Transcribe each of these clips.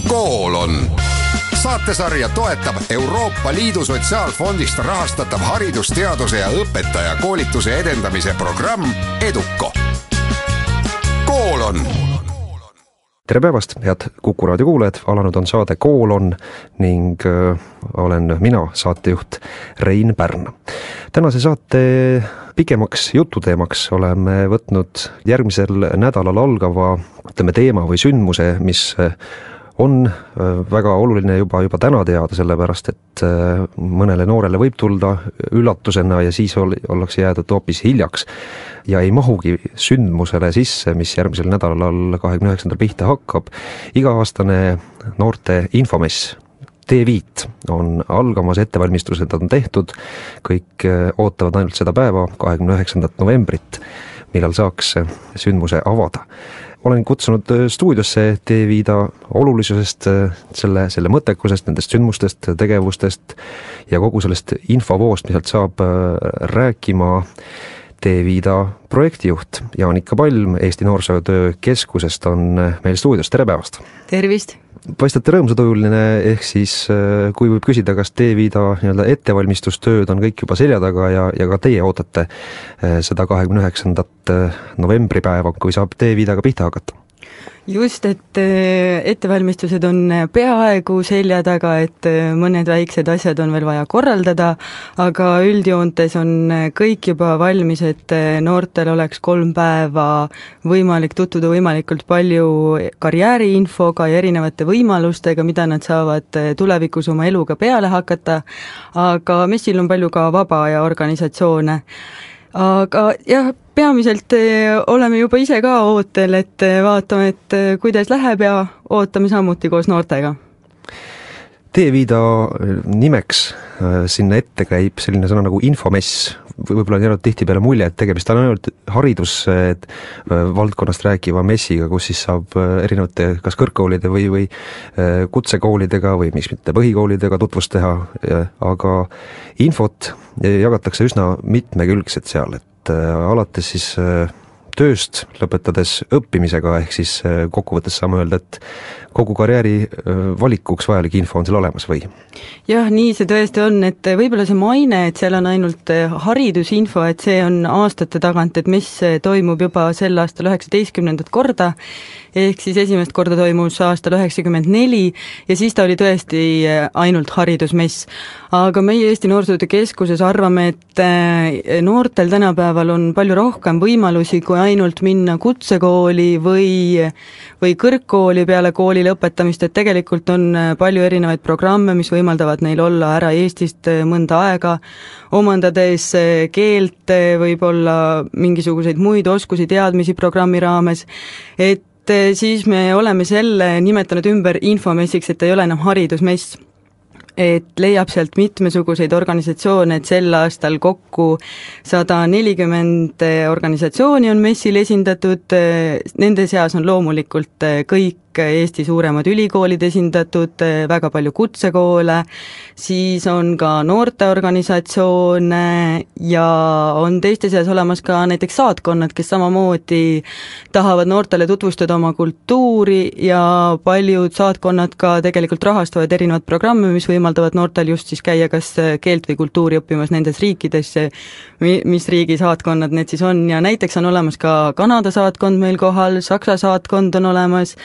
Kool on. Saatesarja toetab Euroopa Liidu Sotsiaalfondist rahastatav haridusteaduse ja õpetaja koolituse edendamise programm EDUCO. Kool on. Tere päevast, head Kuku raadio kuulajad, alanud on saade Kool on ning olen mina, saatejuht Rein Pärn. Tänase saate pikemaks jututeemaks oleme võtnud järgmisel nädalal algava teema või sündmuse, mis on väga oluline juba täna teada, sellepärast et mõnele noorele võib tulda üllatusena ja siis ollakse jäädud hoopis hiljaks ja ei mahugi sündmusele sisse, mis järgmisel nädalal 29. pihta hakkab. Iga-aastane noorte infomess T5 on algamas, ettevalmistused on tehtud, kõik ootavad ainult seda päeva, 29. novembrit, millal saaks sündmuse avada. Olen kutsunud stuudiosse T5 olulisusest, selle mõttekusest, nendest sündmustest, tegevustest ja kogu sellest infovoost, mis sealt saab rääkima T5 projektijuht Jaanika Palm Eesti Noorsootöö Keskusest on meil stuudios. Tere päevast! Tervist! Paistate rõõmsatujuline, ehk siis kui võib küsida, kas T5 ettevalmistustööd on kõik juba selja taga ja ka teie ootate seda 29. novembri päeva, kui saab T5-ga pihta hakata? Just, et ettevalmistused on peaaegu selja taga, et mõned väiksed asjad on veel vaja korraldada, aga üldjoontes on kõik juba valmis, et noortel oleks 3 päeva võimalik tutvuda võimalikult palju karjääriinfoga ja erinevate võimalustega, mida nad saavad tulevikus oma eluga peale hakata, aga messil on palju ka vaba ja organisatsioone. Aga jah, peamiselt oleme juba ise ka ootel, et vaatame, et kuidas läheb ja ootame samuti koos noortega. T5 nimeks sinna ette käib selline sõna nagu infomess. Võib-olla on jäänud tihtipeale mulje, et tegemist on ainult haridusvaldkonnast rääkiva messiga, kus siis saab erinevate kas kõrgkoolide või kutsekoolidega või miks mitte põhikoolidega tutvust teha, aga infot jagatakse üsna mitmekülgset seal, et alates siis tööst lõpetades õppimisega, ehk siis kokkuvõttes saame öelda, et kogu karjääri valikuks vajalik info on seal olemas või? Jah, nii see tõesti on, et võib-olla see maine, et seal on ainult haridusinfo, et see on aastate tagant, et mis toimub juba sel aastal 19. korda, ehk siis esimest korda toimus aastal 94 ja siis ta oli tõesti ainult haridusmess. Aga meie Eesti Noorsootöö Keskuses arvame, et noortel tänapäeval on palju rohkem võimalusi kui ainult minna kutsekooli või kõrgkooli peale kooli lõpetamist, et tegelikult on palju erinevaid programme, mis võimaldavad neil olla ära Eestist mõnda aega, omandades keelt, võib-olla mingisuguseid muid oskusi, teadmisi programmi raames, et siis me oleme selle nimetanud ümber infomessiks, et ei ole enam haridusmess. Et leiab sealt mitmesuguseid organisatsioone, et sel aastal kokku 140 organisatsiooni on messil esindatud, nende seas on loomulikult kõik Eesti suuremad ülikoolid esindatud, väga palju kutsekoole, siis on ka noorteorganisatsioone ja on teiste seas olemas ka näiteks saatkonnad, kes samamoodi tahavad noortele tutvustada oma kultuuri ja paljud saatkonnad ka tegelikult rahastavad erinevad programme, mis võimaldavad noortel just siis käia kas keelt või kultuuri õppimas nendes riikides, mis riigi saatkonnad need siis on, ja näiteks on olemas ka Kanada saatkond meil kohal, Saksa saatkond on olemas,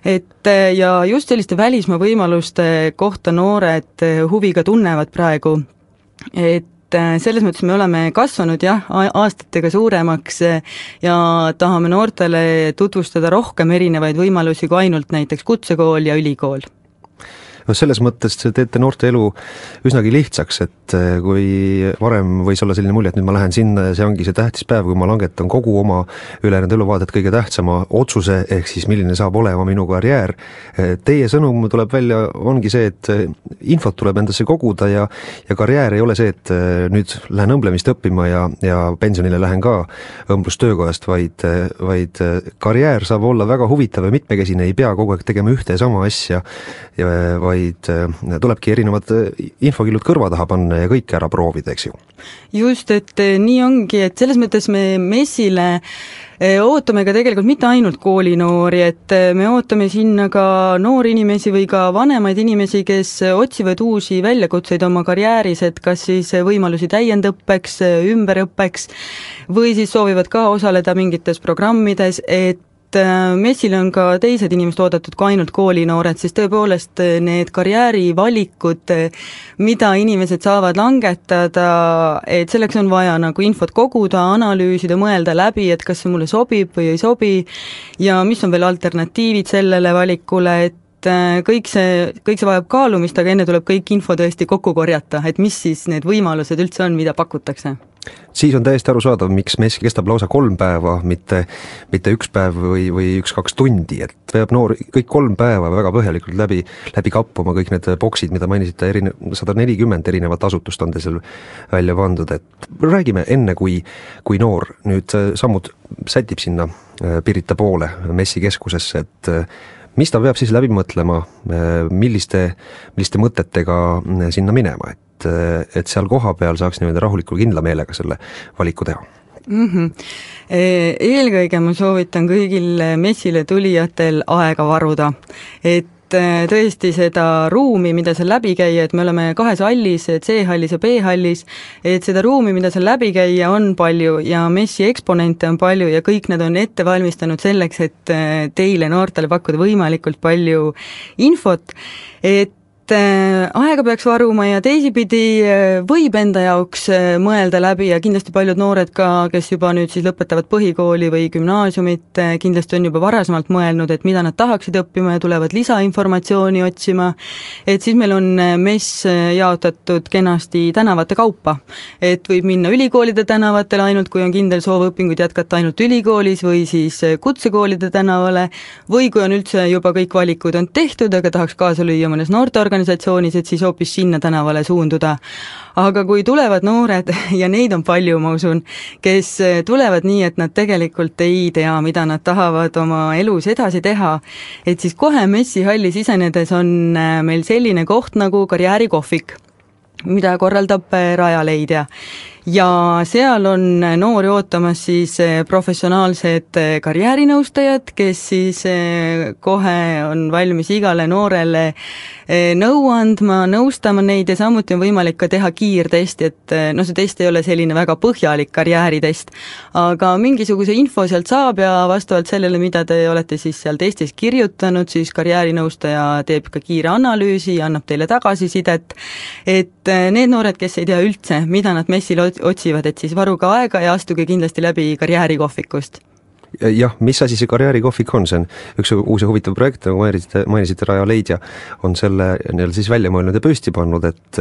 et ja just selliste välismaa võimaluste kohta noored huviga tunnevad praegu, et selles mõttes me oleme kasvanud aastatega suuremaks ja tahame noortele tutvustada rohkem erinevaid võimalusi kui ainult näiteks kutsekool ja ülikool. No selles mõttes teete noorte elu üsnagi lihtsaks, et kui varem võis olla selline mulje, et nüüd ma lähen sinna ja see ongi see tähtis päev, kui ma langetan kogu oma ülejäänud eluvaadet kõige tähtsama otsuse, ehk siis milline saab olema minu karjäär. Teie sõnum tuleb välja, ongi see, et infot tuleb endasse koguda ja karjäär ei ole see, et nüüd lähen õmblemist õppima ja pensionile lähen ka õmblustöökojast, vaid karjäär saab olla väga huvitav ja mitmekesine, ei pea kogu aeg tegema ühte ja sama asja, vaid tulebki erinevad infokillud kõrva taha panna ja kõike ära proovida, eks ju? Just, et nii ongi, et selles mõttes me messile ootame ka tegelikult mitte ainult koolinoori, et me ootame sinna ka noori inimesi või ka vanemaid inimesi, kes otsivad uusi väljakutseid oma karjääris, et kas siis võimalusi täiendõppeks, ümberõppeks või siis soovivad ka osaleda mingites programmides, et messile on ka teised inimesed oodatud kui ainult koolinoored, siis tõepoolest need karjäärivalikud, mida inimesed saavad langetada, et selleks on vaja nagu infot koguda, analüüsida, mõelda läbi, et kas see mulle sobib või ei sobi ja mis on veel alternatiivid sellele valikule, et kõik see vajab kaalumist, aga enne tuleb kõik info tõesti kokku korjata, et mis siis need võimalused üldse on, mida pakutakse. Siis on täiesti arusaadav, miks mess kestab lausa 3 päeva, mitte 1 päev või 1-2 tundi, et peab noor kõik 3 päeva väga põhjalikult läbi kappuma kõik need boksid, mida mainisite, 140 erinevat asutust on teil seal välja pandud, et räägime enne, kui noor nüüd sammud sätib sinna Pirita poole messikeskusesse, et mis ta peab siis läbi mõtlema, milliste mõtetega sinna minema, et seal koha peal saaks niimoodi rahulikult kindla meelega selle valiku teha? Eelkõige ma soovitan kõigil messile tulijatel aega varuda, et tõesti seda ruumi, mida seal läbi käia, et me oleme 2 hallis, C-hallis ja B-hallis, et seda ruumi, mida seal läbi käia, on palju ja messi eksponente on palju ja kõik nad on ette valmistanud selleks, et teile noortele pakkuda võimalikult palju infot, et aega peaks varuma ja teisipidi võib enda jaoks mõelda läbi ja kindlasti paljud noored ka, kes juba nüüd siis lõpetavad põhikooli või gümnaasiumit, kindlasti on juba varasemalt mõelnud, et mida nad tahaksid õppima ja tulevad lisainformatsiooni otsima, et siis meil on mess jaotatud kenasti tänavate kaupa, et võib minna ülikoolide tänavatele ainult, kui on kindel soov õpinguid jätkata ainult ülikoolis või siis kutsekoolide tänavale või kui on üldse juba kõik valikud on tehtud, aga tahaks kaasa lüüa mõnes noorteorganisatsioonis, et siis hoopis sinna tänavale suunduda. Aga kui tulevad noored, ja neid on palju, ma usun, kes tulevad nii, et nad tegelikult ei tea, mida nad tahavad oma elus edasi teha, et siis kohe messihalli sisenedes on meil selline koht nagu karjäärikohvik, mida korraldab Rajaleidja. Ja seal on noori ootamas siis professionaalsed karjäärinõustajad, kes siis kohe on valmis igale noorele nõu andma, nõustama neid ja samuti on võimalik ka teha kiirtesti, et see test ei ole selline väga põhjalik karjääritest, aga mingisuguse info sealt saab ja vastavalt sellele, mida te olete siis seal testis kirjutanud, siis karjäärinõustaja teeb ka kiire analüüsi ja annab teile tagasisidet, et need noored, kes ei tea üldse, mida nad messil otsivad, et siis varuge aega ja astuge kindlasti läbi karjäärikohvikust. Jah, mis asi see karjäärikohvik on? See on üks uus ja huvitav projekt, nagu mainisite, Rajaleidja on selle siis välja mõelnud ja püsti pannud, et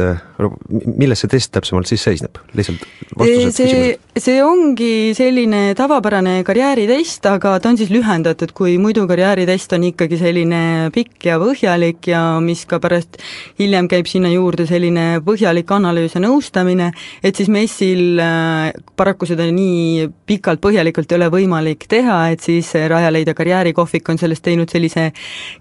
milles see test täpsemalt siis seisneb? Lihtsalt vastused see ongi selline tavapärane karjääritest, aga ta on siis lühendatud, kui muidu karjääritest on ikkagi selline pikk ja põhjalik ja mis ka pärast hiljem käib sinna juurde selline põhjalik analüüs ja nõustamine, et siis messil paraku seda nii pikalt põhjalikult ei ole võimalik teha, et siis Rajaleidja karjäärikohvik on sellest teinud sellise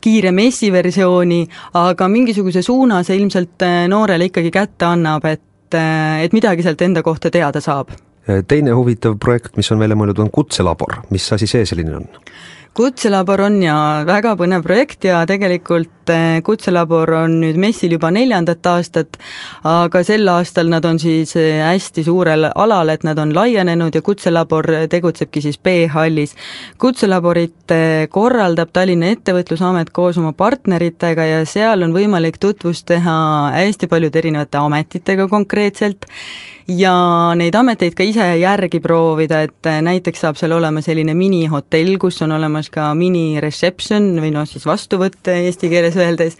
kiire messiversiooni, aga mingisuguse suuna see ilmselt noorele ikkagi kätte annab, et midagi sealt enda kohta teada saab. Teine huvitav projekt, mis on välja mõeldud, on Kutselabor. Mis asi see selline on? Kutselabor on ja väga põnev projekt ja tegelikult Kutselabor on nüüd messil juba 4. aastat, aga sel aastal nad on siis hästi suurel alal, et nad on laienenud ja Kutselabor tegutsebki siis B-hallis. Kutselaborit korraldab Tallinna Ettevõtlusamet koos oma partneritega ja seal on võimalik tutvust teha hästi paljude erinevate ametitega konkreetselt ja neid ameteid ka ise järgi proovida, et näiteks saab seal olema selline minihotell, kus on olemas ka mini-reception või siis vastuvõtt eesti keeles öeldes,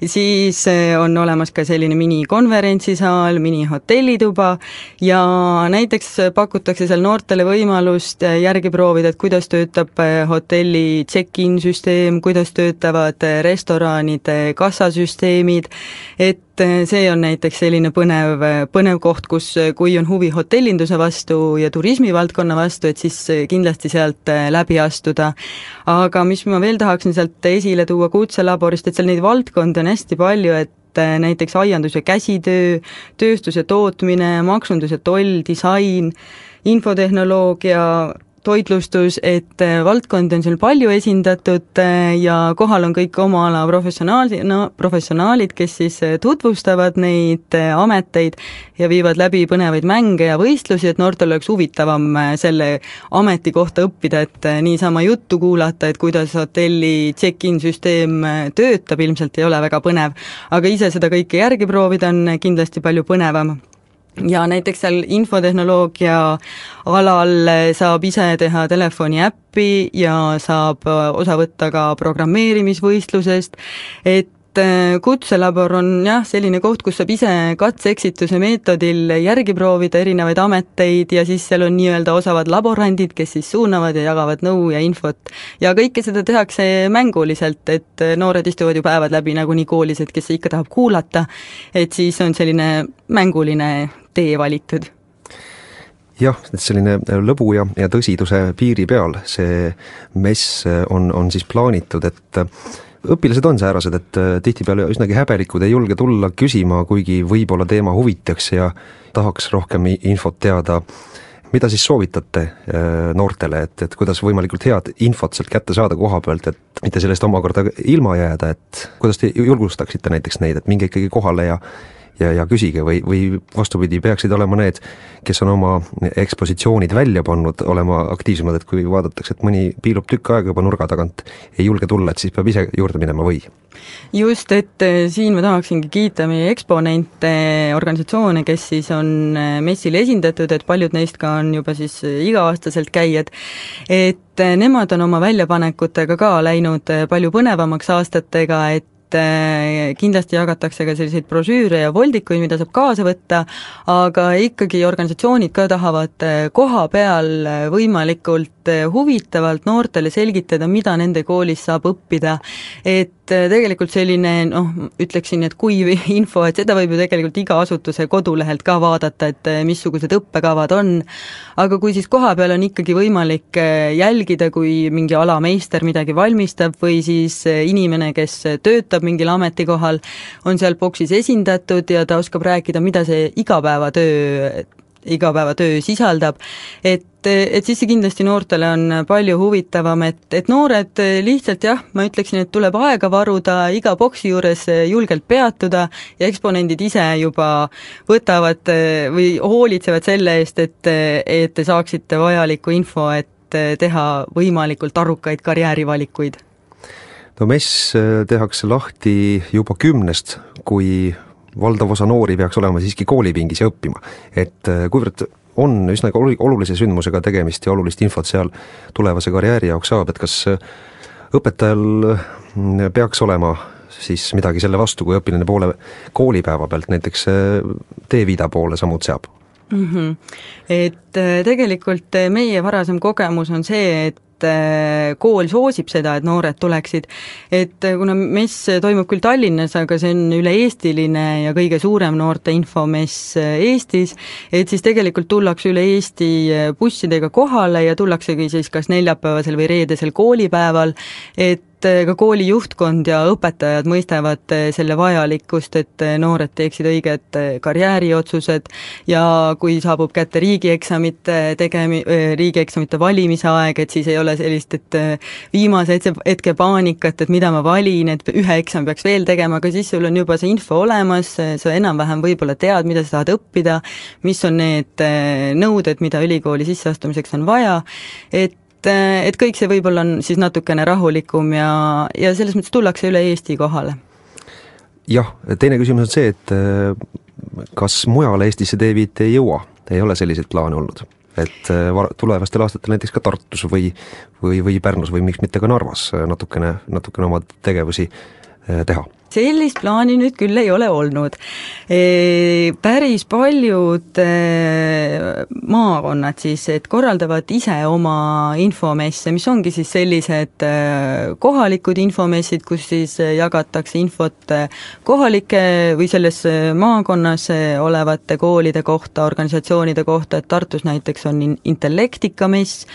siis on olemas ka selline mini-konverentsisaal, mini-hotellituba ja näiteks pakutakse seal noortele võimalust järgi proovida, et kuidas töötab hotelli check-in süsteem, kuidas töötavad restoranide kassasüsteemid, et see on näiteks selline põnev koht, kus kui on huvi hotellinduse vastu ja turismivaldkonna vastu, et siis kindlasti sealt läbi astuda. Aga mis ma veel tahaksin sealt esile tuua kutselaborist, et seal neid valdkondi on hästi palju, et näiteks aiandus ja käsitöö, tööstus ja tootmine, maksundus ja toll, disain, infotehnoloogia, toitlustus, et valdkondi on seal palju esindatud ja kohal on kõik oma ala professionaalid, kes siis tutvustavad neid ameteid ja viivad läbi põnevaid mänge ja võistlusi, et noortel oleks huvitavam selle ameti kohta õppida, et niisama juttu kuulata, et kuidas hotelli check-in süsteem töötab, ilmselt ei ole väga põnev, aga ise seda kõike järgi proovida on kindlasti palju põnevam. Ja näiteks seal infotehnoloogia alal saab ise teha telefoni äppi ja saab osa võtta ka programmeerimisvõistlusest, et kutselabor on jah, selline koht, kus saab ise katse-eksituse meetodil järgi proovida erinevaid ameteid ja siis seal on nii-öelda osavad laborandid, kes siis suunavad ja jagavad nõu ja infot. Ja kõike seda tehakse mänguliselt, et noored istuvad ju päevad läbi nagunii koolis, et kes ikka tahab kuulata, et siis on selline mänguline tee valitud. Jah, selline lõbu ja tõsiduse piiri peal see mess on siis plaanitud, et õpilased on säärased, et tihtipeale üsnagi häbelikud, ei julge tulla küsima, kuigi võib-olla teema huvitaks ja tahaks rohkem infot teada. Mida siis soovitate noortele, et kuidas võimalikult head infot sealt kätte saada koha pealt, et mitte sellest omakorda ilma jääda, et kuidas te julgustaksite näiteks neid, et minge ikkagi kohale ja küsige või vastupidi, peaksid olema need, kes on oma ekspositsioonid välja pannud, olema aktiivsemad, et kui vaadatakse, et mõni piilub tükk aega juba nurga tagant, ei julge tulla, et siis peab ise juurde minema või? Just, et siin ma tahaksingi kiita meie eksponente, organisatsioone, kes siis on messil esindatud, et paljud neist ka on juba siis iga-aastaselt käijad, et nemad on oma väljapanekutega ka läinud palju põnevamaks aastatega, et kindlasti jagatakse ka selliseid brošüüre ja voldikuid, mida saab kaasa võtta, aga ikkagi organisatsioonid ka tahavad koha peal võimalikult huvitavalt noortele selgitada, mida nende koolis saab õppida, et tegelikult selline, ütleksin, et kuiv info, et seda võib ju tegelikult iga asutuse kodulehelt ka vaadata, et missugused õppekavad on, aga kui siis koha peal on ikkagi võimalik jälgida, kui mingi alameister midagi valmistab või siis inimene, kes töötab mingil ametikohal, on seal boksis esindatud ja ta oskab rääkida, mida see igapäevatöö sisaldab, et siis see kindlasti noortele on palju huvitavam, et noored lihtsalt jah, ma ütleksin, et tuleb aega varuda, iga boksi juures julgelt peatuda ja eksponendid ise juba võtavad või hoolitsevad selle eest, et te saaksite vajalikku info, et teha võimalikult arukaid karjäärivalikuid. No mess tehakse lahti juba 10, kui valdav osa noori peaks olema siiski koolipingis ja õppima, et kuivõrd on üsna olulise sündmusega tegemist ja olulist infot seal tulevase karjääri jaoks saab, et kas õpetajal peaks olema siis midagi selle vastu, kui õpilane poole koolipäeva pealt näiteks teeviida poole sammud seab? Et tegelikult meie varasem kogemus on see, et kool soosib seda, et noored tuleksid, et kuna mess toimub küll Tallinnas, aga see on üle-eestiline ja kõige suurem noorte infomess Eestis, et siis tegelikult tullakse üle Eesti bussidega kohale ja tullaksegi siis kas neljapäevasel või reedesel koolipäeval, et ka kooli juhtkond ja õpetajad mõistavad selle vajalikkust, et noored teeksid õiged karjääriotsused ja kui saabub kätte riigieksamite valimise aeg, et siis ei ole sellist, et viimase hetke paanikat, et mida ma valin, et ühe eksami peaks veel tegema, aga siis sul on juba see info olemas, sa enam-vähem võib-olla tead, mida sa saad õppida, mis on need nõuded, mida ülikooli sisseastumiseks on vaja, et kõik see võib-olla on siis natukene rahulikum ja selles mõttes tullakse üle Eesti kohale. Jah, teine küsimus on see, et kas mujal Eestisse teeviit ei jõua, ei ole selliseid plaane olnud, et tulevastel aastatel näiteks ka Tartus või Pärnus või miks mitte ka Narvas natukene oma tegevusi teha? sellist plaani nüüd küll ei ole olnud. Päris paljud maakonnad siis, et korraldavad ise oma infomesse, mis ongi siis sellised kohalikud infomessid, kus siis jagatakse infot kohalike või selles maakonnas olevate koolide kohta, organisatsioonide kohta, et Tartus näiteks on Intellektika mess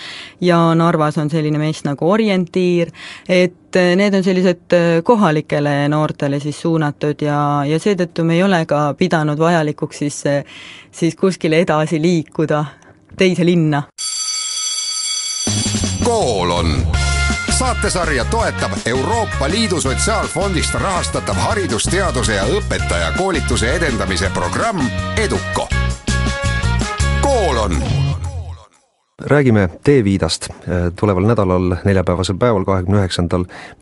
ja Narvas on selline mess nagu Orientiir, et need on sellised kohalikele noortele siis suunatud ja seetõttu me ei ole ka pidanud vajalikuks siis kuskile edasi liikuda teise linna. Koolon. Saatesarja toetab Euroopa Liidu Sotsiaalfondist rahastatav haridusteaduse ja õpetajakoolituse edendamise programm EDUCO. Koolon. Räägime Teeviidast. Tuleval nädalal, neljapäevasel päeval, 29.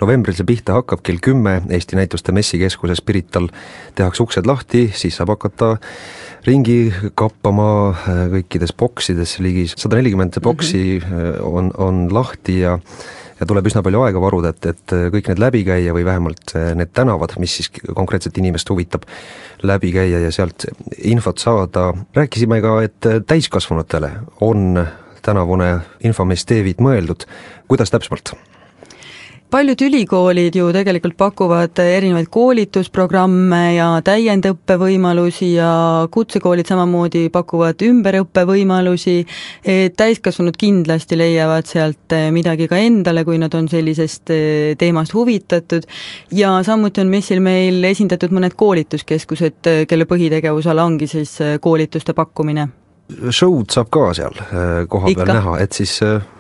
novembril see pihta hakkab kell 10 Eesti Näituste Messikeskuses Pirital. Tehakse uksed lahti, siis saab hakata ringi kappama kõikides boksides, ligi 140 boksi on lahti ja tuleb üsna palju aega varuda, et kõik need läbi käia või vähemalt need tänavad, mis siis konkreetselt inimest huvitab, läbi käia ja sealt infot saada. Rääkisime ka, et täiskasvanutele on tänavune infomess Teeviid mõeldud. Kuidas täpsemalt? Paljud ülikoolid ju tegelikult pakuvad erinevaid koolitusprogramme ja täiendõppevõimalusi ja kutsekoolid samamoodi pakuvad ümberõppevõimalusi, et täiskasvanud kindlasti leiavad sealt midagi ka endale, kui nad on sellisest teemast huvitatud ja samuti on messil meil esindatud mõned koolituskeskused, kelle põhitegevusala ongi siis koolituste pakkumine. Show'd saab ka seal koha peal näha, et siis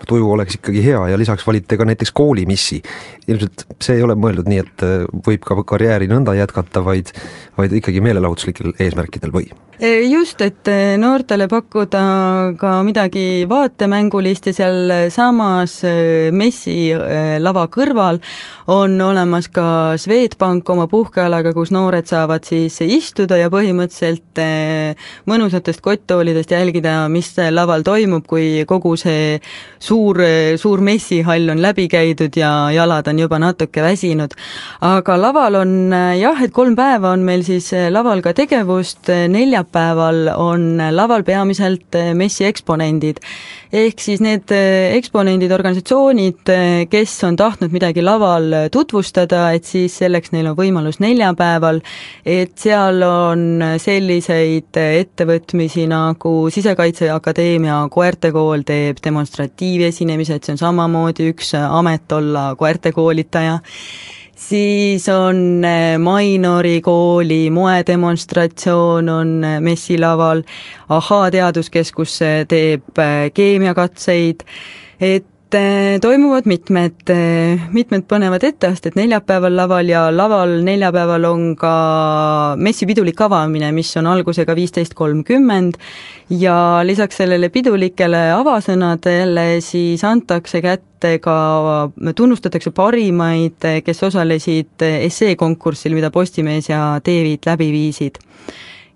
tuju oleks ikkagi hea ja lisaks valite ka näiteks koolimissi. Ilmselt see ei ole mõeldud nii, et võib ka karjääri nõnda jätkata, vaid ikkagi meelelahutuslikel eesmärkidel või? Just, et noortele pakkuda ka midagi vaatemängulist ja seal samas messi lava kõrval on olemas ka Swedbank oma puhkealaga, kus noored saavad siis istuda ja põhimõtteliselt mõnusatest kotttoolidest jälgida, mis laval toimub, kui kogu see suur messihall on läbi käidud ja jalad on juba natuke väsinud. Aga laval on et 3 päeva on meil siis laval ka tegevust, neljapäeval on laval peamiselt messi eksponendid. Ehk siis need eksponendid, organisatsioonid, kes on tahtnud midagi laval tutvustada, et siis selleks neil on võimalus neljapäeval, et seal on selliseid ettevõtmisi nagu Sisekaitseakadeemia koertekool teeb demonstratiivesinemise, et see on samamoodi üks amet olla koertekoolitaja. Siis on Mainori kooli moedemonstratsioon on messilaval, Ahaa teaduskeskus teeb keemiakatseid, et toimuvad mitmed põnevad etteasted neljapäeval laval ja laval neljapäeval on ka messi pidulik avamine, mis on algusega 15.30 ja lisaks sellele pidulikele avasõnadele siis antakse kätte ka, tunnustatakse parimaid, kes osalesid esseekonkursil, mida Postimees ja Teeviid läbi viisid.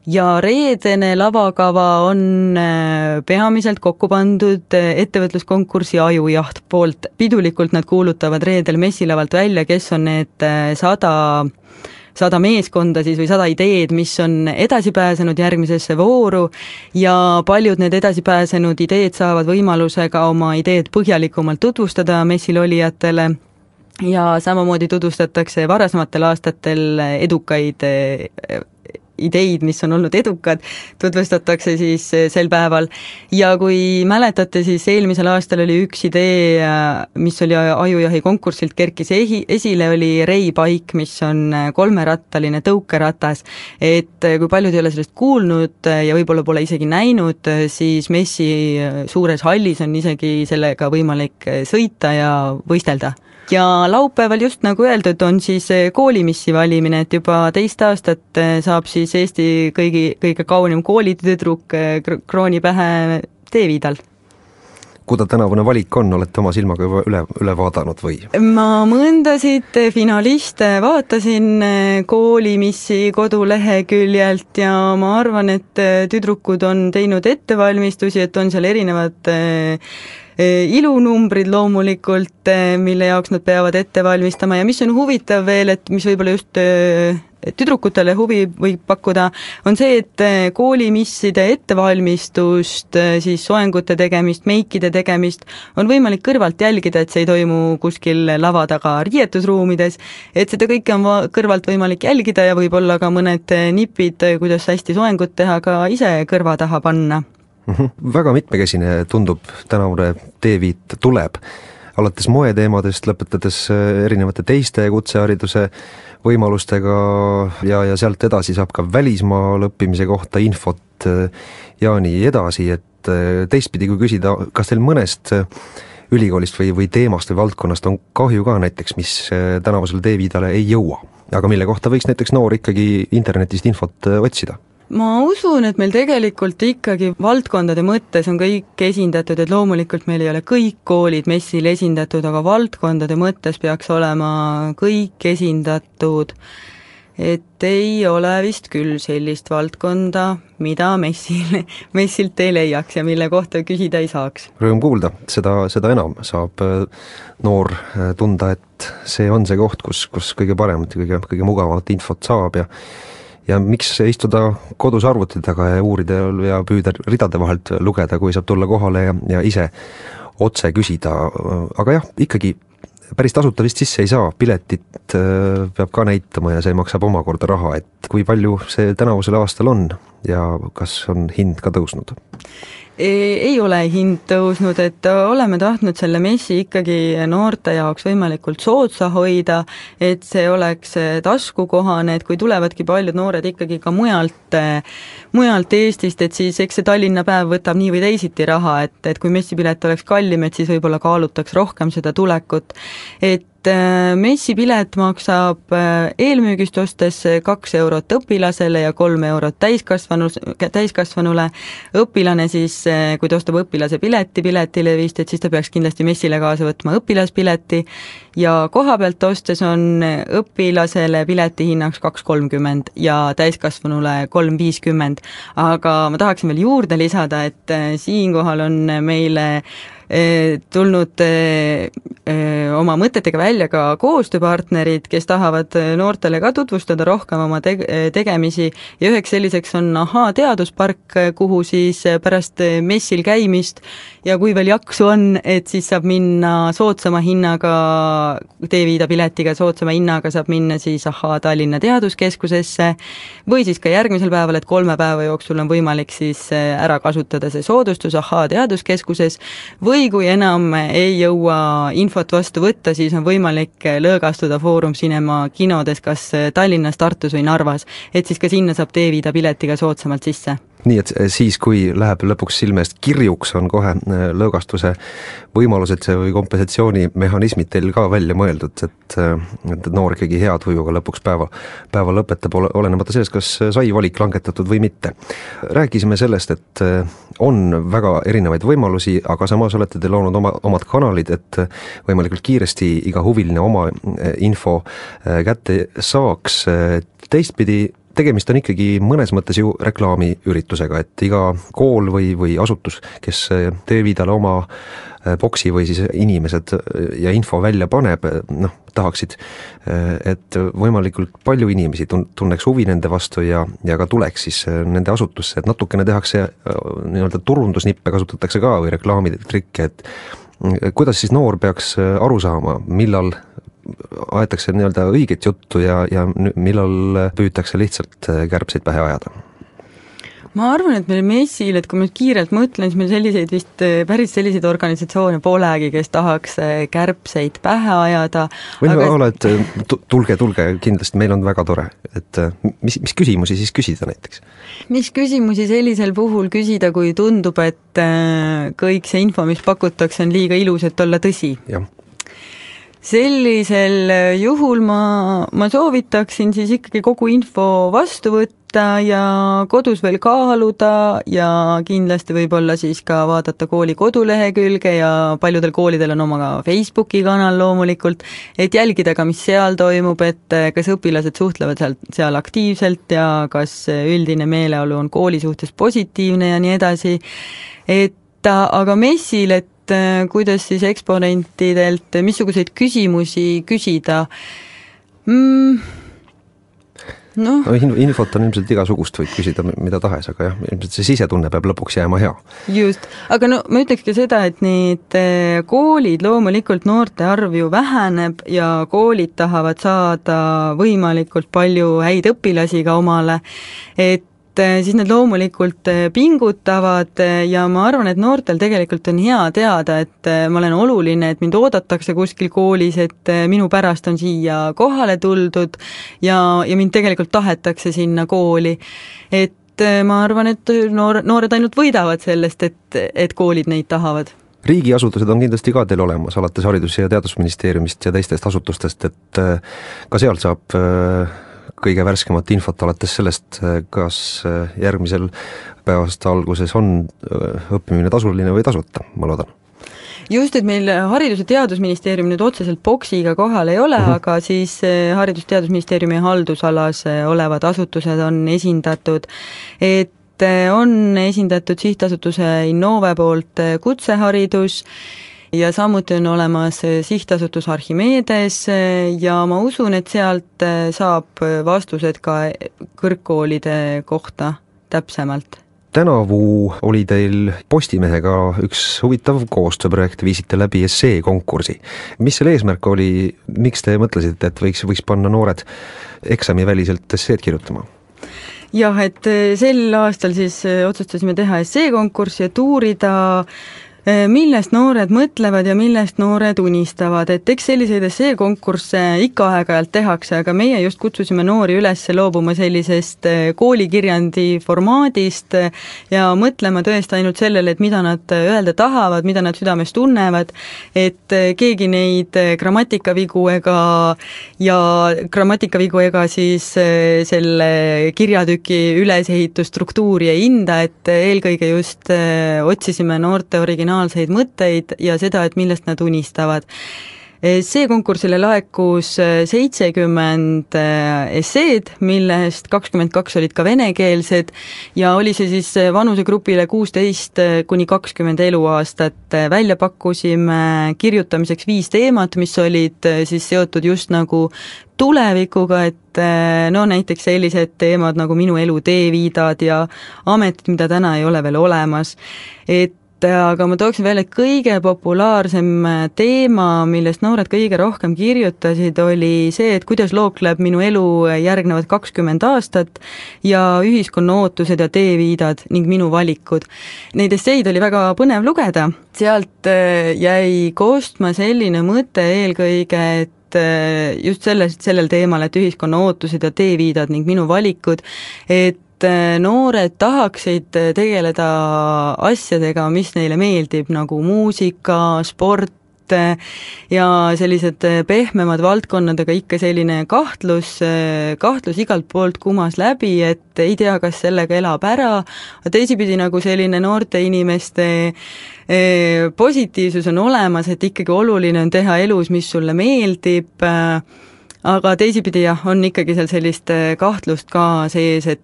Ja reedene lavakava on peamiselt kokku pandud ettevõtluskonkursi Ajujaht poolt. Pidulikult nad kuulutavad reedel messilavalt välja, kes on need 100 meeskonda siis või 100 ideed, mis on edasi pääsenud järgmisesse vooru ja paljud need edasi pääsenud ideed saavad võimaluse ka oma ideed põhjalikumalt tutvustada messil olijatele ja samamoodi tutvustatakse varasematel aastatel edukaid ideid, mis on olnud edukad, tutvustatakse siis sel päeval. Ja kui mäletate, siis eelmisel aastal oli üks idee, mis oli Ajujahi konkursilt kerkis esile, oli Rei Paik, mis on 3-rattaline tõukeratas. Et kui paljud ei ole sellest kuulnud ja võib-olla pole isegi näinud, siis messi suures hallis on isegi sellega võimalik sõita ja võistelda. Ja laupäeval just nagu öeldud on siis koolimissi valimine, et juba 2 aastat saab siis Eesti kõige kaunim koolitüdruk krooni pähe Teeviidal. kuida tänavune valik on, olete oma silmaga juba üle vaadanud või? Ma mõndasid finaliste vaatasin koolimissi koduleheküljelt ja ma arvan, et tüdrukud on teinud ettevalmistusi, et on seal erinevad ilunumbrid loomulikult, mille jaoks nad peavad ette valmistama ja mis on huvitav veel, et mis võib-olla just tüdrukutele huvi võib pakkuda, on see, et koolimisside ettevalmistust, siis soengute tegemist, meikide tegemist on võimalik kõrvalt jälgida, et see ei toimu kuskil lava taga riietusruumides, et seda kõike on kõrvalt võimalik jälgida ja võib-olla ka mõned nipid, kuidas hästi soengut teha, ka ise kõrva taha panna. Väga mitmekesine tundub tänavune teeviit tuleb, alates moeteemadest, lõpetades erinevate teiste kutsehariduse võimalustega ja sealt edasi saab ka välismaal õppimise kohta infot ja nii edasi, et teistpidi kui küsida, kas teil mõnest ülikoolist või teemast või valdkonnast on kahju ka näiteks, mis tänavusele teeviidale ei jõua, aga mille kohta võiks näiteks noor ikkagi internetist infot otsida? Ma usun, et meil tegelikult ikkagi valdkondade mõttes on kõik esindatud, et loomulikult meil ei ole kõik koolid messil esindatud, aga valdkondade mõttes peaks olema kõik esindatud, et ei ole vist küll sellist valdkonda, mida messilt ei leiaks ja mille kohta küsida ei saaks. Rõõm kuulda, seda enam saab noor tunda, et see on see koht, kus kõige paremat ja kõige mugavamat infot saab ja miks istuda kodus arvuti taga ja uurida ja püüda ridade vahelt lugeda, kui saab tulla kohale ja ise otse küsida, aga jah, ikkagi päris tasuta vist sisse ei saa, piletit peab ka näitama ja see maksab omakorda raha, et kui palju see tänavusel aastal on ja kas on hind ka tõusnud? Ei ole hind tõusnud, et oleme tahtnud selle messi ikkagi noorte jaoks võimalikult soodsa hoida, et see oleks taskukohane, et kui tulevadki paljud noored ikkagi ka mujalt Eestist, et siis eks see Tallinna päev võtab nii või teisiti raha, et kui messipilet oleks kallim, et siis võib-olla kaalutaks rohkem seda tulekut, et messipilet maksab eelmüügist ostes 2 eurot õpilasele ja 3 eurot täiskasvanule. Õpilane siis, kui ta ostab õpilase piletilevist, et siis ta peaks kindlasti messile kaasa võtma õpilaspileti ja koha pealt ostes on õpilasele pileti hinnaks 2,30 ja täiskasvanule 3,50. Aga ma tahaksin veel juurde lisada, et siinkohal on meile tulnud oma mõtetega välja ka koostööpartnerid, kes tahavad noortele ka tutvustada rohkem oma tegemisi ja üheks selliseks on Ahhaa teaduspark, kuhu siis pärast messil käimist ja kui veel jaksu on, et siis saab minna soodsama hinnaga, teeviida piletiga soodsama hinnaga saab minna siis Ahhaa Tallinna Teaduskeskusesse või siis ka järgmisel päeval, et 3 päeva jooksul on võimalik siis ära kasutada see soodustus Ahhaa Teaduskeskuses või kui enam ei jõua infot vastu võtta, siis on võimalik lõõgastuda Foorum Cinema kinodes kas Tallinnas, Tartus või Narvas, et siis ka sinna saab teeviida piletiga soodsamalt sisse. Nii et siis, kui läheb lõpuks silme eest kirjuks, on kohe lõõgastuse võimalused või kompensatsioonimehhanismid teil ka välja mõeldud, et noor ikkagi hea tujuga lõpuks päeva lõpetab, olenemata sellest, kas sai valik langetatud või mitte. Rääkisime sellest, et on väga erinevaid võimalusi, aga samas olete te loonud omad kanalid, et võimalikult kiiresti iga huviline oma info kätte saaks. Teistpidi tegemist on ikkagi mõnes mõttes ju reklaamiüritusega, et iga kool või asutus, kes teeviidale oma boksi või siis inimesed ja info välja paneb, tahaksid, et võimalikult palju inimesi tunneks huvi nende vastu ja ka tuleks siis nende asutusse, et natukene tehakse nii-öelda turundusnippe kasutatakse ka või reklaamitrikke, et kuidas siis noor peaks aru saama, millal aetakse nii-öelda õiget juttu ja millal püütakse lihtsalt kärbseid pähe ajada? Ma arvan, et meil messil, et kui ma kiirelt mõtlen, siis meil selliseid vist päris selliseid organisatsioone polegi, kes tahaks kärbseid pähe ajada. Või ole, et tulge, kindlasti meil on väga tore, et mis küsimusi siis küsida näiteks? Mis küsimusi sellisel puhul küsida, kui tundub, et kõik see info, mis pakutakse, on liiga ilus, et olla tõsi? Jah. sellisel juhul ma soovitaksin siis ikkagi kogu info vastu võtta ja kodus veel kaaluda ja kindlasti võib-olla siis ka vaadata kooli kodulehekülge ja paljudel koolidel on oma ka Facebooki kanal loomulikult, et jälgida ka, mis seal toimub, et kas õpilased suhtlevad seal aktiivselt ja kas üldine meeleolu on kooli suhtes positiivne ja nii edasi, aga messil, et kuidas siis eksponentidelt missuguseid küsimusi küsida? Infot on ilmselt igasugust, võid küsida mida tahes, aga jah, ilmselt see sisetunne peab lõpuks jääma hea. Just, aga ma ütleks ka seda, et need koolid, loomulikult noorte arv ju väheneb ja koolid tahavad saada võimalikult palju häid õpilasi ka omale, et siis need loomulikult pingutavad ja ma arvan, et noortel tegelikult on hea teada, et ma olen oluline, et mind oodatakse kuskil koolis, et minu pärast on siia kohale tuldud ja mind tegelikult tahetakse sinna kooli. Et ma arvan, et noored ainult võidavad sellest, et koolid neid tahavad. Riigiasutused on kindlasti ka teil olemas, alates Haridus- ja Teadusministeeriumist ja teistest asutustest, et ka sealt saab kõige värskemat infot alates sellest, kas järgmisel päevast alguses on õppimine tasuline või tasuta, ma loodan. Just, et meil Haridus- ja Teadusministeerium nüüd otseselt boksiga kohal ei ole, aga siis Haridus- ja Teadusministeeriumi haldusalas olevad asutused on esindatud, et on esindatud sihtasutuse Innove poolt kutseharidus ja samuti on olemas sihtasutus Archimedes ja ma usun, et sealt saab vastused ka kõrgkoolide kohta täpsemalt. Tänavu oli teil Postimehega üks huvitav koostööprojekt, viisite läbi esseekonkursi. Mis selle eesmärk oli, miks te mõtlesite, et võiks panna noored eksamiväliselt esseed kirjutama? Jah, et sel aastal siis otsustasime teha esseekonkurssi, et uurida millest noored mõtlevad ja millest noored unistavad, et eks selliseid esseekonkursse ikka aeg-ajalt tehakse, aga meie just kutsusime noori üles loobuma sellisest koolikirjandi formaadist ja mõtlema tõesti ainult sellele, et mida nad öelda tahavad, mida nad südames tunnevad, et keegi neid grammatikavigu ega siis selle kirjatüki ülesehitusstruktuuri ei hinda, et eelkõige just otsisime noorte originaalseid mõtteid ja seda, et millest nad unistavad. See konkursile laekus 70 esseed, millest 22 olid ka venekeelsed ja oli see siis vanusegrupile 16–20 eluaastat. Välja pakkusime kirjutamiseks 5 teemat, mis olid siis seotud just nagu tulevikuga, et näiteks sellised teemad nagu minu elu teeviidad ja ametid, mida täna ei ole veel olemas, aga ma tooksin välja, et kõige populaarsem teema, millest noored kõige rohkem kirjutasid, oli see, et kuidas lookleb minu elu järgnevad 20 aastat ja ühiskonna ootused ja teeviidad ning minu valikud. Neid esseid oli väga põnev lugeda, sealt jäi koostma selline mõte eelkõige, et just sellel teemal, et ühiskonna ootused ja teeviidad ning minu valikud, et noored tahaksid tegeleda asjadega, mis neile meeldib, nagu muusika, sport ja sellised pehmemad valdkonnad, aga ikka selline kahtlus igalt poolt kumas läbi, et ei tea, kas sellega elab ära, teisipidi nagu selline noorte inimeste positiivsus on olemas, et ikkagi oluline on teha elus, mis sulle meeldib, aga teisipidi jah, on ikkagi seal sellist kahtlust ka sees, et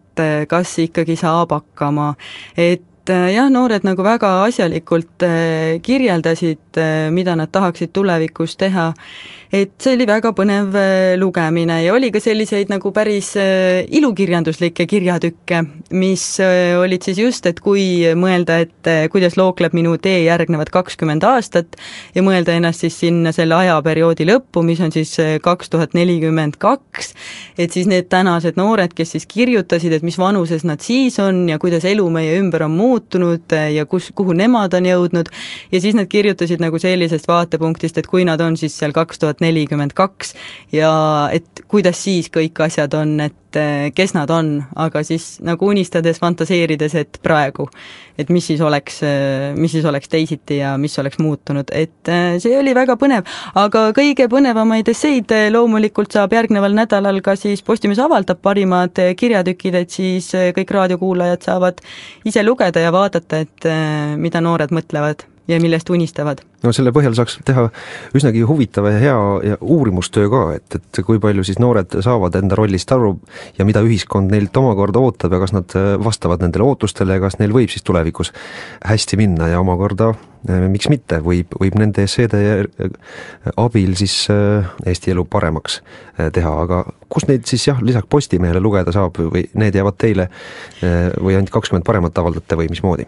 kas ikkagi saab hakkama, et jah, noored nagu väga asjalikult kirjeldasid, mida nad tahaksid tulevikus teha, et see oli väga põnev lugemine ja oli ka selliseid nagu päris ilukirjanduslikke kirjatükke, mis olid siis just, et kui mõelda, et kuidas lookleb minu tee järgnevad 20 aastat ja mõelda ennast siis sinna selle ajaperioodi lõppu, mis on siis 2042, et siis need tänased noored, kes siis kirjutasid, et mis vanuses nad siis on ja kuidas elu meie ümber on muutunud ja kuhu nemad on jõudnud ja siis nad kirjutasid nagu sellisest vaatepunktist, et kui nad on siis seal 2042 ja et kuidas siis kõik asjad on, et et kes nad on, aga siis nagu unistades, fantaseerides, et praegu, et mis siis oleks teisiti ja mis oleks muutunud, et see oli väga põnev, aga kõige põnevamaid esseid loomulikult saab järgneval nädalal ka siis Postimees avaldab parimad kirjatükid, et siis kõik raadiokuulajad saavad ise lugeda ja vaadata, et mida noored mõtlevad ja millest unistavad. No selle põhjal saaks teha üsnagi huvitava ja hea ja uurimustöö ka, et kui palju siis noored saavad enda rollist aru ja mida ühiskond neilt omakorda ootab ja kas nad vastavad nendele ootustele ja kas neil võib siis tulevikus hästi minna ja omakorda miks mitte, võib nende esseede abil siis Eesti elu paremaks teha, aga kus neid siis lisaks Postimehele lugeda saab või need jäävad teile või ainult 20 paremat avaldate või mismoodi?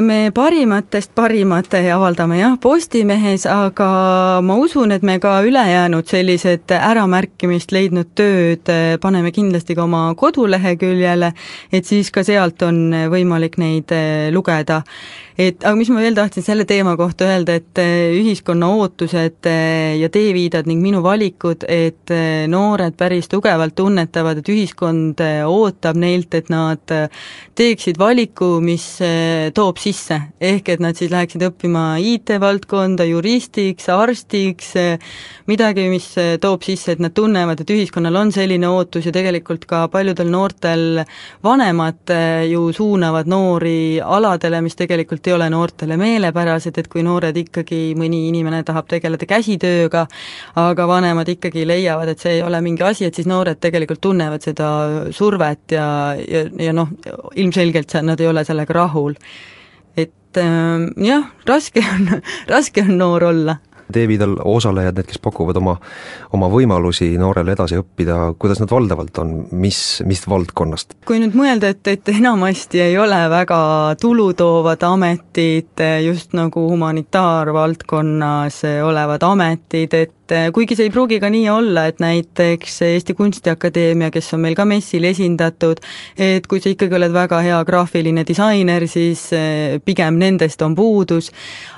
Me parimatest parimate avaldame Postimehes, aga ma usun, et me ka ülejäänud sellised äramärkimist leidnud tööd paneme kindlasti ka oma koduleheküljele, et siis ka sealt on võimalik neid lugeda. Aga mis ma veel tahtsin selle teema kohta öelda, et ühiskonna ootused ja teeviidad ning minu valikud, et noored päris tugevalt tunnetavad, et ühiskond ootab neilt, et nad teeksid valiku, mis toob sisse, ehk et nad siis läheksid õppima IT-valdkonda, juristiks, arstiks, midagi, mis toob sisse, et nad tunnevad, et ühiskonnal on selline ootus ja tegelikult ka paljudel noortel vanemad ju suunavad noori aladele, mis tegelikult ei ole noortele meelepärased, et kui noored ikkagi, mõni inimene tahab tegeleda käsitööga, aga vanemad ikkagi leiavad, et see ei ole mingi asi, et siis noored tegelikult tunnevad seda survet ja ilmselgelt nad ei ole sellega rahul. Et raske on noor olla. Teeviidal osalejad, need, kes pakuvad oma võimalusi noorele edasi õppida, kuidas nad valdavalt on, mis valdkonnast? Kui nüüd mõelda, et enamasti ei ole väga tulutoovad ametid, just nagu humanitaarvaldkonnas olevad ametid, et kuigi see ei pruugi ka nii olla, et näiteks Eesti Kunstiakadeemia, kes on meil ka messil esindatud, et kui sa ikkagi oled väga hea graafiline disainer, siis pigem nendest on puudus,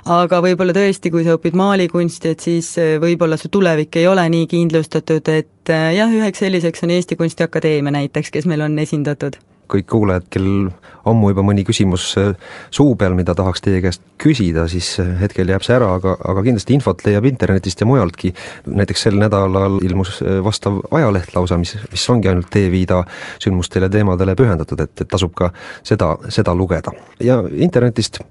aga võib-olla tõesti, kui sa õpid maalikunsti, et siis võib-olla su tulevik ei ole nii kindlustatud, et üheks selliseks on Eesti Kunstiakadeemia näiteks, kes meil on esindatud. Kõik kuulajad, kel ammu juba mõni küsimus suu peal, mida tahaks teie käest küsida, siis hetkel jääb see ära, aga kindlasti infot leiab internetist ja mujaltki. Näiteks sel nädalal ilmus vastav ajaleht lausa, mis ongi ainult Teeviida sündmustele teemadele pühendatud, et tasub ka seda lugeda. Ja internetist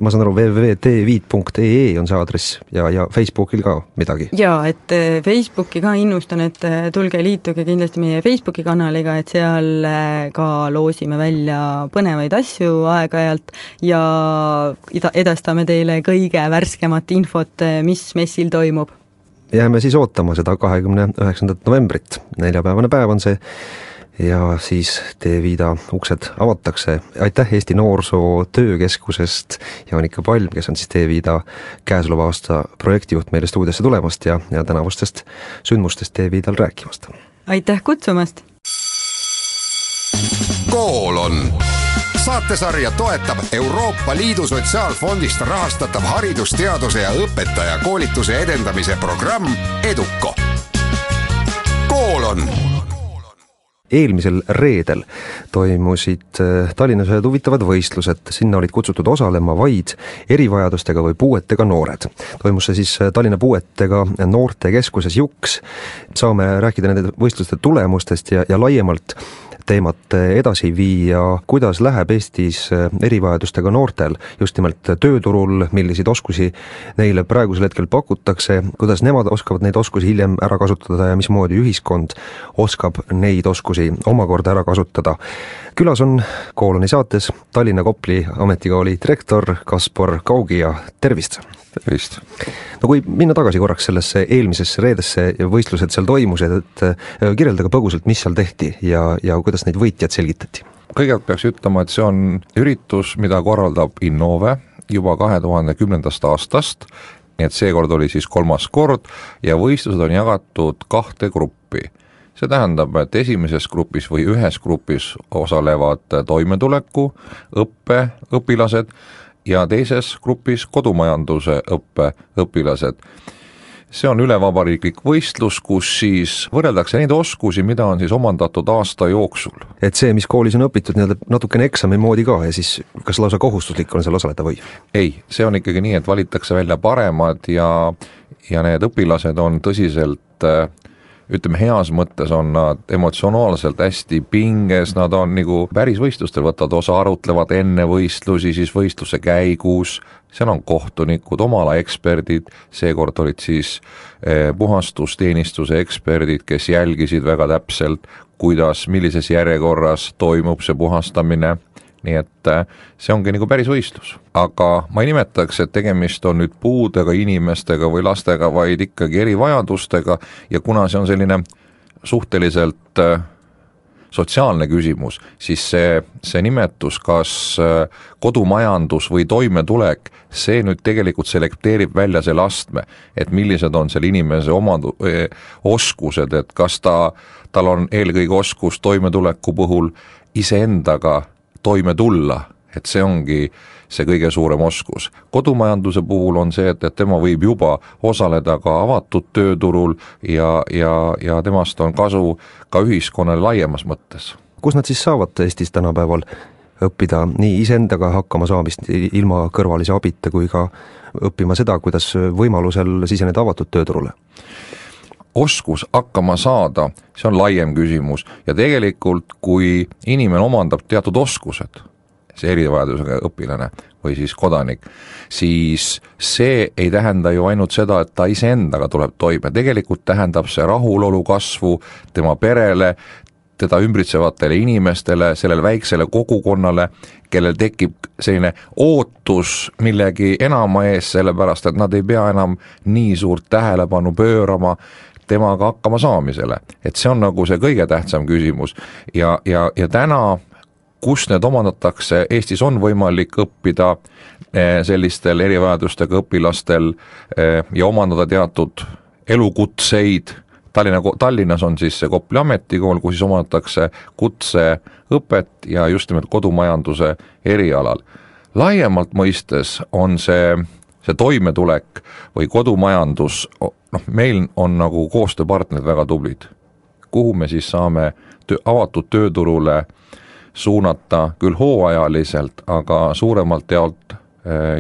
ma saan aru, www.teeviit.ee on see aadress ja Facebookil ka midagi? Jaa, et Facebooki ka innustan, et tulge liituge kindlasti meie Facebooki kanaliga, et seal ka loosime välja põnevaid asju aeg-ajalt ja edastame teile kõige värskemat infot, mis messil toimub. Jääme siis ootama seda 29. novembrit, neljapäevane päev on see, ja siis Teeviida uksed avatakse. Aitäh Eesti Noorsoo Töökeskusest Jaanika Palm, kes on siis Teeviida käesoleva aasta projektijuht meile stuudiosse tulemast ja tänavustest sündmustest Teeviidal rääkimast. Aitäh kutsumast! Kool on saatesarja toetab Euroopa Liidu Sotsiaalfondist rahastatav haridusteaduse ja õpetaja koolituse edendamise programm EDUCO. Kool on! Eelmisel reedel toimusid Tallinnas ühed huvitavad võistlused, sinna olid kutsutud osalema vaid erivajadustega või puuetega noored. Toimus see siis Tallinna puuetega noortekeskuses Juks. Saame rääkida nende võistluste tulemustest ja laiemalt teemat edasi viia, kuidas läheb Eestis erivajadustega noortel just nimelt tööturul, milliseid oskusi neile praegusel hetkel pakutakse, kuidas nemad oskavad neid oskusi hiljem ära kasutada ja mismoodi ühiskond oskab neid oskusi omakorda ära kasutada. Külas on Kooloni saates Tallinna Kopli ametikooli direktor Kaspar Kaugi ja tervist! Tervist! No kui minna tagasi korraks sellesse eelmisesse reedesse ja võistlused seal toimused, et kirjeldage põgusalt, mis seal tehti ja kuidas neid võitjad selgitati? Kõigepealt peaks ütlema, et see on üritus, mida korraldab Innove juba 2010. aastast, nii et seekord oli siis 3. kord ja võistlused on jagatud 2 gruppi. See tähendab, et esimeses grupis või ühes grupis osalevad toimetuleku, õpilased ja teises grupis kodumajanduse õpilased. see on ülevabariiklik võistlus, kus siis võrreldakse neid oskusi, mida on siis omandatud aasta jooksul. Et see, mis koolis on õpitud natukene eksami moodi ka ja siis kas lausa kohustuslik on seal osaleda või? Ei, see on ikkagi nii, et valitakse välja paremad ja need õpilased on tõsiselt, ütleme heas mõttes on nad emotsionaalselt hästi pinges, nad on nagu päris võistlustel võtavad osa, arutlevad enne võistlusi, siis võistluse käigus, seal on kohtunikud, omala eksperdid, seekord olid siis puhastusteenistuse eksperdid, kes jälgisid väga täpselt, kuidas, millises järjekorras toimub see puhastamine, nii et see ongi nagu päris võistlus. Aga ma ei nimetaks, et tegemist on nüüd puudega inimestega või lastega, vaid ikkagi erivajadustega ja kuna see on selline suhteliselt sotsiaalne küsimus, siis see nimetus, kas kodumajandus või toimetulek, see nüüd tegelikult selekteerib välja selle astme, et millised on selle inimese oskused, et kas tal on eelkõige oskus toimetuleku puhul iseendaga toime tulla, et see ongi see kõige suurem oskus. Kodumajanduse puhul on see, et tema võib juba osaleda ka avatud tööturul ja temast on kasu ka ühiskonnale laiemas mõttes. Kus nad siis saavad Eestis tänapäeval õppida nii iseendaga hakkama saamist ilma kõrvalise abita kui ka õppima seda, kuidas võimalusel siseneda avatud tööturule? Oskus hakkama saada, see on laiem küsimus ja tegelikult kui inimene omandab teatud oskused, see erivajadusega õpilane või siis kodanik, siis see ei tähenda ju ainult seda, et ta iseendaga tuleb toime, tegelikult tähendab see rahulolu kasvu tema perele, teda ümbritsevatele inimestele, sellele väiksele kogukonnale, kellel tekib selline ootus millegi enama ees, sellepärast et nad ei pea enam nii suurt tähelepanu pöörama temaga hakkama saamisele. Et see on nagu see kõige tähtsam küsimus ja täna, kus need omandatakse, Eestis on võimalik õppida sellistel erivajadustega õpilastel ja omandada teatud elukutseid. Tallinnas on siis see Kopli ametikool, kus siis omandatakse kutseõpet ja just nimelt kodumajanduse erialal. Laiemalt mõistes on see toimetulek või kodumajandus, meil on nagu koostööpartnerid väga tublid, kuhu me siis saame avatud tööturule suunata küll hooajaliselt, aga suuremalt jaolt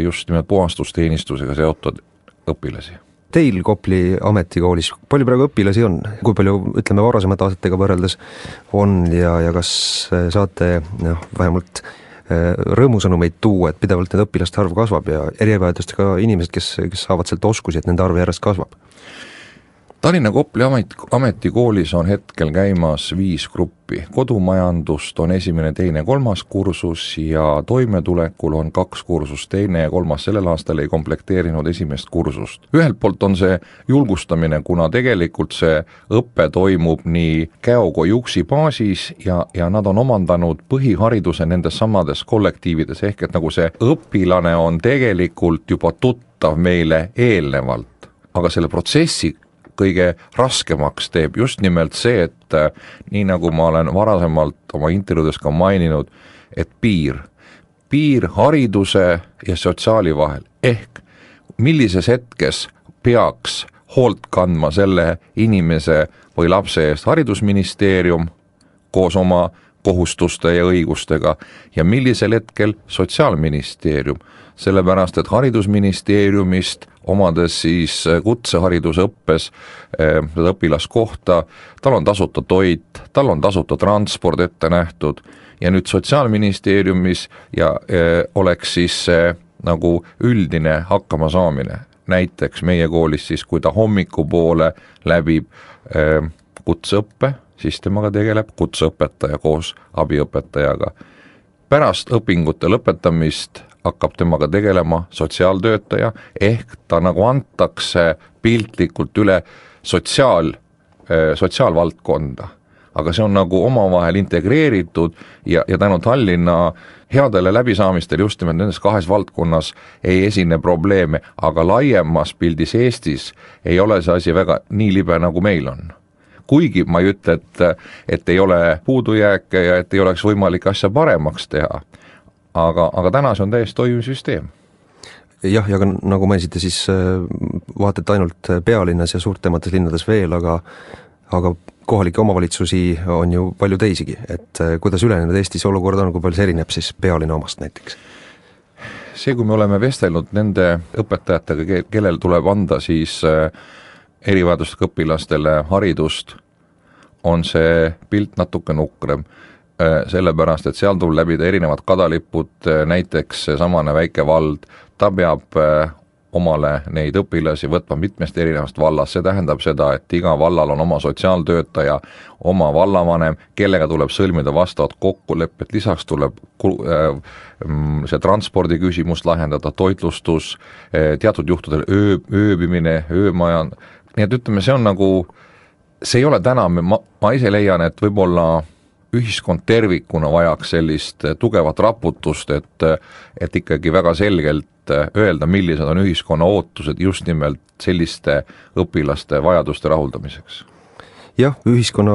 just nimelt puhastusteenistusega seotud õpilasi. Teil Kopli ametikoolis, palju praegu õpilasi on? Kui palju, ütleme, varasemate aastatega võrreldes on ja kas saate vähemalt rõõmusõnumeid tuua, et pidevalt need õpilaste arv kasvab ja erivajadustega inimesed, kes saavad sealt oskusi, et nende arv järjest kasvab? Tallinna Kopli ametikoolis on hetkel käimas 5 gruppi. Kodumajandust on 1., 2., 3. kursus ja toimetulekul on 2 kursust, 2. ja 3. sellel aastal ei komplekteerinud 1. kursust. Ühelt poolt on see julgustamine, kuna tegelikult see õppe toimub nii käokojuksi baasis ja nad on omandanud põhihariduse nendes samades kollektiivides, ehk et nagu see õpilane on tegelikult juba tuttav meile eelnevalt, aga selle protsessi kõige raskemaks teeb just nimelt see, et nii nagu ma olen varasemalt oma intervjuudes ka maininud, et piir hariduse ja sotsiaali vahel, ehk millises hetkes peaks hoolt kandma selle inimese või lapse eest haridusministeerium koos oma kohustuste ja õigustega ja millisel hetkel sotsiaalministeerium, sellepärast et haridusministeeriumist omades siis kutseharidusõppes seda õpilaskohta, tal on tasuta toit, tal on tasuta transport ette nähtud ja nüüd sotsiaalministeeriumis ja oleks siis nagu üldine hakkama saamine. Näiteks meie koolis siis, kui ta hommikupoole läbib kutseõppe, siis temaga tegeleb kutseõpetaja koos abiõpetajaga. Pärast õpingute lõpetamist hakkab temaga tegelema sotsiaaltöötaja, ehk ta nagu antakse piltlikult üle sotsiaalvaldkonda. Aga see on nagu omavahel integreeritud ja tänu Tallinna headele läbisaamistel just nimelt nendes 2 valdkonnas ei esine probleeme, aga laiemas pildis Eestis ei ole see asi väga nii libe, nagu meil on. Kuigi ma ei ütle, et ei ole puudujääke ja et ei oleks võimalik asja paremaks teha, aga täna see on täiesti toimiv süsteem. jah, ja ka nagu mainisite, siis vaata, et ainult pealinnas ja suurtemates linnades veel, aga kohalikke omavalitsusi on ju palju teisigi, et kuidas ülejäänud Eestis olukord on, kui palju see erineb siis pealinna omast näiteks? See, kui me oleme vestelnud nende õpetajatega, kellel tuleb anda siis erivajadustega õpilastele haridust, on see pilt natuke nukrem, sellepärast, et seal tuleb läbida erinevad kadalipud, näiteks samane väike vald, ta peab omale neid õpilasi võtma mitmest erinevast vallast, see tähendab seda, et iga vallal on oma sotsiaaltöötaja, oma vallavanem, kellega tuleb sõlmida vastavad kokkulepped, lisaks tuleb see transpordi küsimus lahendada, toitlustus, teatud juhtudel ööbimine, öömaja, nii et ütleme, see on nagu, see ei ole täna, ma ise leian, et võib-olla ühiskond tervikuna vajaks sellist tugevat raputust, et ikkagi väga selgelt öelda, millised on ühiskonna ootused just nimelt selliste õpilaste vajaduste rahuldamiseks. Jah, ühiskonna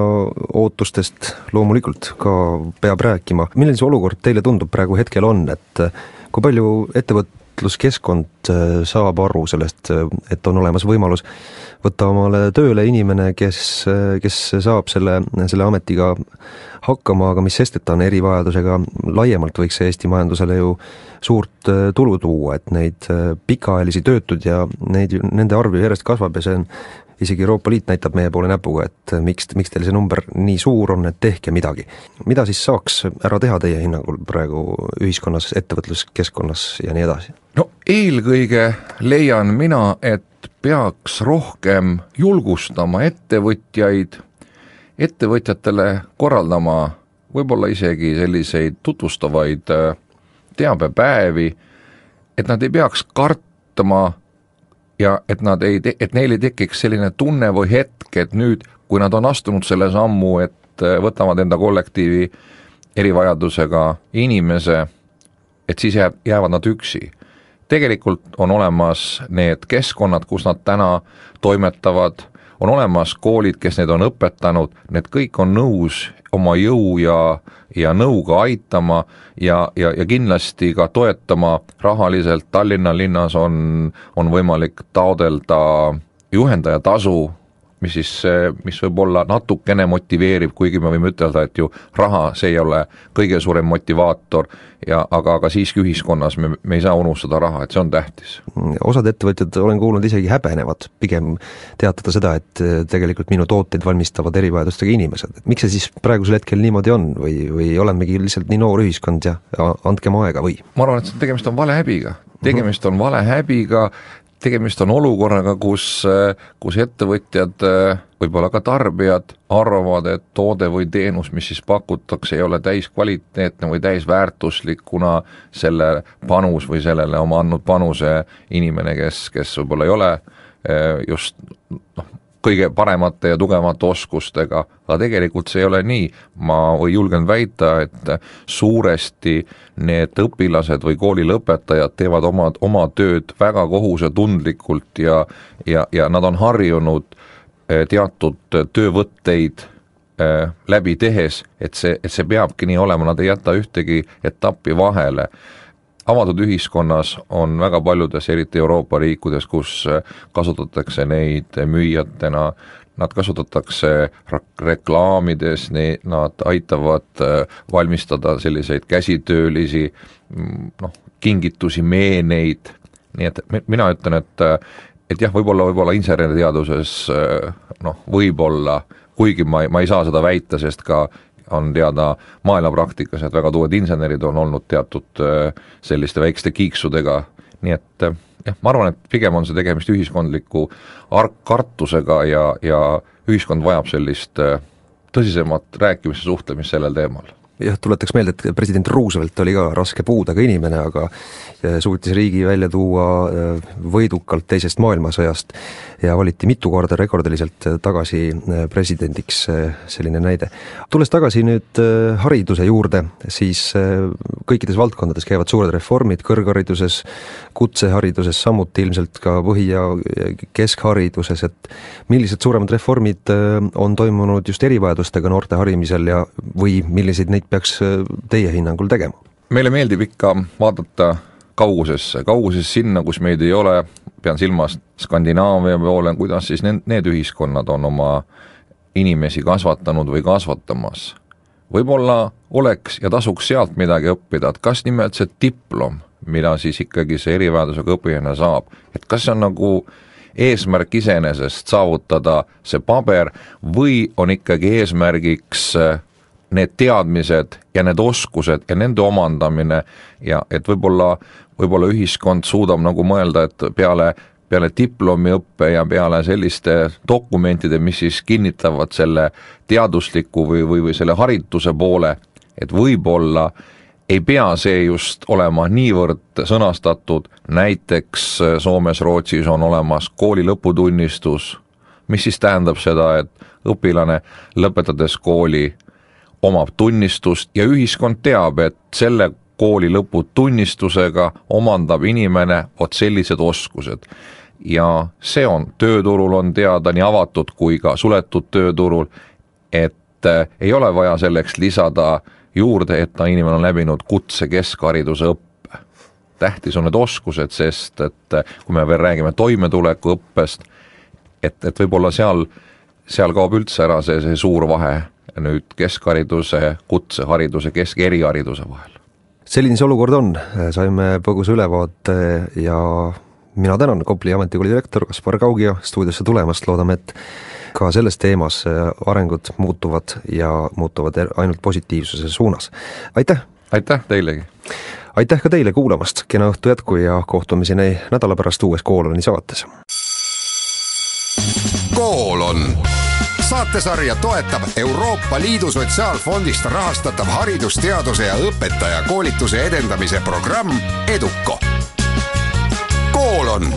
ootustest loomulikult ka peab rääkima. Milline see olukord teile tundub praegu hetkel on, et kui palju ettevõtluskeskkond saab aru sellest, et on olemas võimalus võtta omale tööle inimene, kes saab selle ametiga hakkama, aga mis sest, et ta on erivajadusega, laiemalt võiks see Eesti majandusele ju suurt tulu tuua, et neid pikaajalisi töötud ja nende arv järjest kasvab ja see on, isegi Euroopa Liit näitab meie poole näpuga, et miks teil see number nii suur on, et tehke midagi. Mida siis saaks ära teha teie hinnangul praegu ühiskonnas, ettevõtluskeskkonnas ja nii edasi? No eelkõige leian mina, et peaks rohkem julgustama ettevõtjatele korraldama võib-olla isegi selliseid tutvustavaid teabepäevi, et nad ei peaks kartma ja et neil ei tekiks selline tunne või hetk, et nüüd, kui nad on astunud selle sammu, et võtavad enda kollektiivi erivajadusega inimese, et siis jäävad nad üksi. Tegelikult on olemas need keskkonnad, kus nad täna toimetavad, on olemas koolid, kes neid on õpetanud, need kõik on nõus oma jõu ja nõuga aitama ja kindlasti ka toetama rahaliselt. Tallinna linnas on võimalik taodelda juhendaja tasu, mis võib olla natukene motiveeriv, kuigi me võime ütelda, et ju raha, see ei ole kõige suurem motivaator, aga siiski ühiskonnas me ei saa unustada raha, et see on tähtis. Osad ettevõtjad, olen kuulnud, isegi häbenevad pigem teatada seda, et tegelikult minu tooteid valmistavad erivajadustega inimesed. Miks see siis praegusel hetkel niimoodi on või olemegi lihtsalt nii noor ühiskond ja andkem aega või? Ma arvan, et tegemist on valehäbiga. Tegemist on olukorraga, kus ettevõtjad, võib-olla ka tarbijad arvavad, et toode või teenus, mis siis pakutakse, ei ole täiskvaliteetne või täisväärtuslik, kuna selle panus või sellele oma andnud panuse inimene, kes võib-olla ei ole just kõige paremate ja tugevamate oskustega, aga tegelikult see ei ole nii. Ma julgen väita, et suuresti need õpilased või kooli lõpetajad teevad oma tööd väga kohusetundlikult ja nad on harjunud teatud töövõtteid läbi tehes, et see peabki nii olema, nad ei jäta ühtegi etappi vahele. Avatud ühiskonnas on väga paljudes, eriti Euroopa riikudes, kus kasutatakse neid müüjatena, nad kasutatakse reklaamides, nad aitavad valmistada selliseid käsitöölisi, kingitusi, meeneid, nii et mina ütlen, et jah, võib-olla inseneriteaduses võib-olla, kuigi ma ei saa seda väita, sest ka on teada maailmapraktikas, et väga tuued insenerid on olnud teatud selliste väikeste kiiksudega, nii et jah, ma arvan, et pigem on see tegemist ühiskondliku kartusega ja ühiskond vajab sellist tõsisemat rääkimist ja suhtlemist sellel teemal. Jah, tuletaks meelde, et president Roosevelt oli ka raske puudega inimene, aga suutis riigi välja tuua võidukalt teisest maailmasõjast ja valiti mitu korda rekordiliselt tagasi presidendiks, selline näide. Tulles tagasi nüüd hariduse juurde, siis kõikides valdkondades käivad suured reformid, kõrghariduses, kutsehariduses, samuti ilmselt ka põhi- ja keskhariduses, et millised suuremad reformid on toimunud just erivajadustega noorte harimisel ja või milliseid neid peaks teie hinnangul tegema? Meile meeldib ikka vaadata kaugusesse sinna, kus meid ei ole, pean silmas Skandinaavia poole, kuidas siis need ühiskonnad on oma inimesi kasvatanud või kasvatamas. Võib-olla oleks ja tasuks sealt midagi õppida, et kas nimelt see diplom, mida siis ikkagi see erivajadusega õpilane saab, et kas see on nagu eesmärk iseenesest saavutada see paber või on ikkagi eesmärgiks need teadmised ja need oskused ja nende omandamine ja et võib-olla ühiskond suudab nagu mõelda, et peale diplomiõppe ja peale selliste dokumentide, mis siis kinnitavad selle teadusliku või selle harituse poole, et võib-olla ei pea see just olema niivõrd sõnastatud, näiteks Soomes, Rootsis on olemas kooli lõputunnistus, mis siis tähendab seda, et õpilane lõpetades kooli omab tunnistust ja ühiskond teab, et selle kooli lõputunnistusega omandab inimene vot sellised oskused. Ja see on tööturul on teada nii avatud kui ka suletud tööturul, et ei ole vaja selleks lisada juurde, et inimene on läbinud kutse keskhariduse õppe. Tähtis on need oskused, sest et kui me veel räägime toimetuleku õppest, et võib-olla seal kaob üldse ära see suur vahe nüüd keskhariduse, kutsehariduse, erihariduse vahel. Selline see olukord on, saime põgusa ülevaate ja mina tänan Kopli ametikooli direktor Kaspar Kaugja stuudiosse tulemast, loodame, et ka selles teemas arengud muutuvad ja muutuvad ainult positiivsuse suunas. Aitäh! Aitäh teilegi! Aitäh ka teile kuulamast, kena õhtu jätku ja kohtumiseni nädala pärast uues Kooloni saates. Koolon. Saatesarja toetab Euroopa Liidu Sotsiaalfondist rahastatav haridusteaduse ja õpetaja koolituse edendamise programm EDUCO. Koolon.